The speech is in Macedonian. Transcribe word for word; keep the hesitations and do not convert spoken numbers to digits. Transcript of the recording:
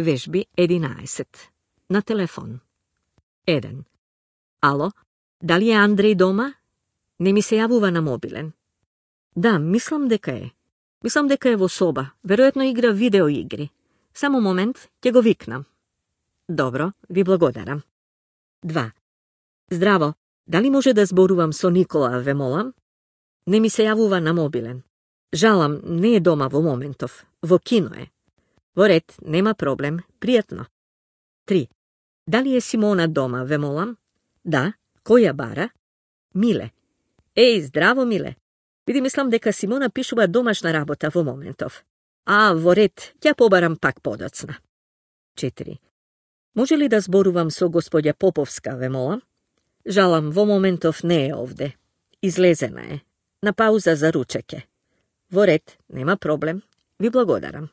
Вежби единаесет. На телефон. еден. Ало, дали е Андреј дома? Не ми се јавува на мобилен. Да, мислам дека е. Мислам дека е во соба. Веројатно игра видеоигри. Само момент, ќе го викнам. Добро, ви благодарам. два. Здраво, дали може да зборувам со Никола, ве молам? Не ми се јавува на мобилен. Жалам, не е дома во моментов. Во кино е. Во ред, нема проблем, пријатно. три. Дали е Симона дома, ве молам? Да, кој ја бара? Миле. Еј, здраво, Миле. Види, мислам дека Симона пишува домашна работа во моментов. А, во ред, ќе побарам пак подоцна. четири. Може ли да зборувам со господја Поповска, ве молам? Жалам, во моментов не е овде. Излезена е. На пауза за ручеке. Во ред, нема проблем. Ви благодарам.